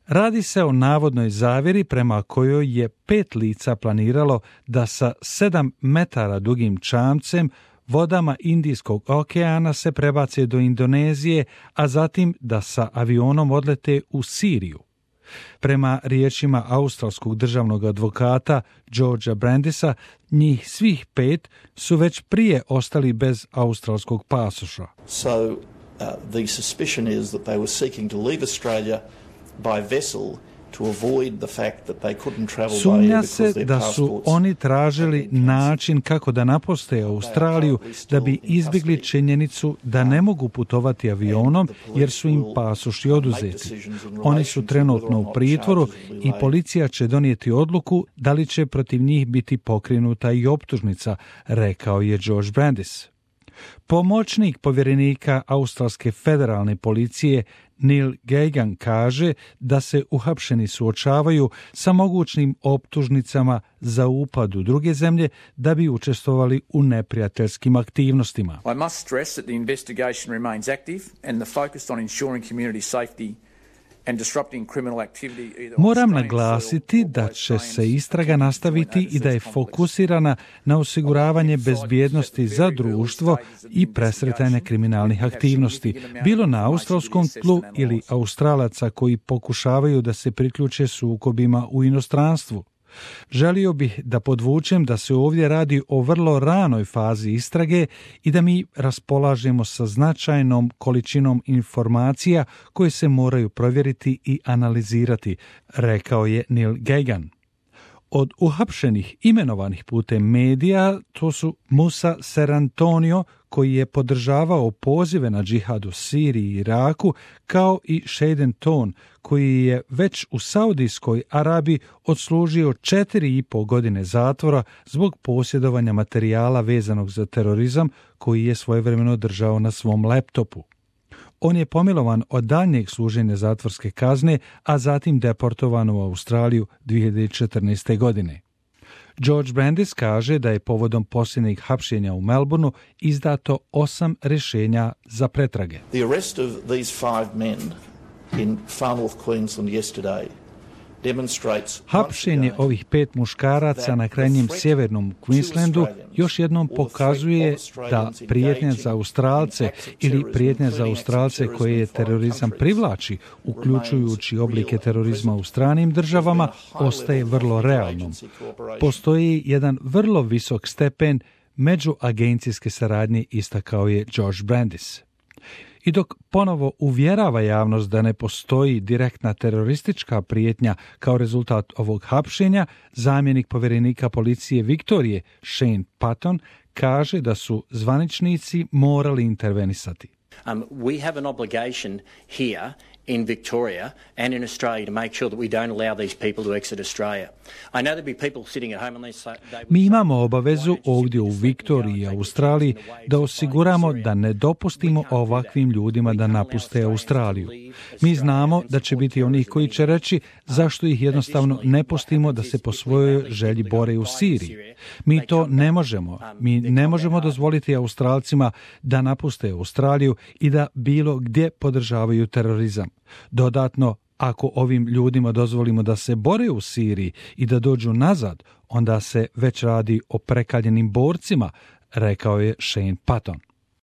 Radi se o navodnoj zavjeri prema kojoj je 5 lica planiralo da sa 7 metara dugim čamcem vodama Indijskog okeana se prebace do Indonezije, a zatim da sa avionom odlete u Siriju. Prema riječima australskog državnog advokata Georgea Brandisa, njih svih 5 su već prije ostali bez australskog pasoša. So the suspicion is that they were seeking to leave Australia by vessel to avoid the fact that they couldn't travel by air Sumnja because se their da su passports oni tražili način kako da napuste Australiju da bi izbjegli činjenicu da ne mogu putovati avionom jer su im pasoši oduzeti. Oni su trenutno u pritvoru i policija će donijeti odluku da li će protiv njih biti pokrenuta i optužnica, rekao je George Brandis. Pomoćnik povjerenika australske federalne policije Neil Gagan kaže da se uhapšeni suočavaju sa mogućnim optužnicama za upad u druge zemlje da bi učestvovali u neprijateljskim aktivnostima. I must stress that the investigation remains active and the focus on ensuring community safety and disrupting criminal activity. Moram naglasiti da će se istraga nastaviti i da je fokusirana na osiguravanje bezbjednosti za društvo i presretanje kriminalnih aktivnosti, bilo na australskom tlu ili Australaca koji pokušavaju da se priključe sukobima u inostranstvu. Želio bih da podvučem da se ovdje radi o vrlo ranoj fazi istrage i da mi raspolažemo sa značajnom količinom informacija koje se moraju provjeriti i analizirati, rekao je Neil Gagan. Od uhapšenih imenovanih putem medija to su Musa Serantonio, koji je podržavao pozive na džihad u Siriji i Iraku, kao i Shaden Tone, koji je već u Saudijskoj Arabiji odslužio 4,5 godine zatvora zbog posjedovanja materijala vezanog za terorizam koji je svojevremeno držao na svom laptopu. On je pomilovan od daljnjeg služenja zatvorske kazne, a zatim deportovan u Australiju 2014. godine. George Brandis kaže da je povodom posljednjih hapšenja u Melbourneu izdato 8 rješenja za pretrage. The arrest of these 5 men in Far North Queensland yesterday demonstrates Hapšenje ovih 5 muškaraca na krajnjem sjevernom Queenslandu još jednom pokazuje da prijetnja za Australce ili prijetnja za Australce koje je terorizam privlači, uključujući oblike terorizma u stranim državama, ostaje vrlo realnom. Postoji jedan vrlo visok stepen međuagencijske saradnje, istakao je George Brandis. I dok ponovo uvjerava javnost da ne postoji direktna teroristička prijetnja kao rezultat ovog hapšenja, zamjenik povjerenika policije Viktorije Shane Patton kaže da su zvaničnici morali intervenisati. We have an obligation here in Victoria and in Australia to make sure that we don't allow these people to exit Australia. I know there'll be people sitting at home and they Mi imamo obavezu ovdje u Viktoriji i Australiji da osiguramo da ne dopustimo ovakvim ljudima da napuste Australiju. Mi znamo da će biti onih koji će reći zašto ih jednostavno ne pustimo da se po svojoj želji bore u Siriji. Mi to ne možemo. Mi ne možemo dozvoliti Australcima da napuste Australiju i da bilo gdje podržavaju terorizam. Dodatno, ako ovim ljudima dozvolimo da se bore u Siriji i da dođu nazad, onda se već radi o prekaljenim borcima, rekao je Shane Patton.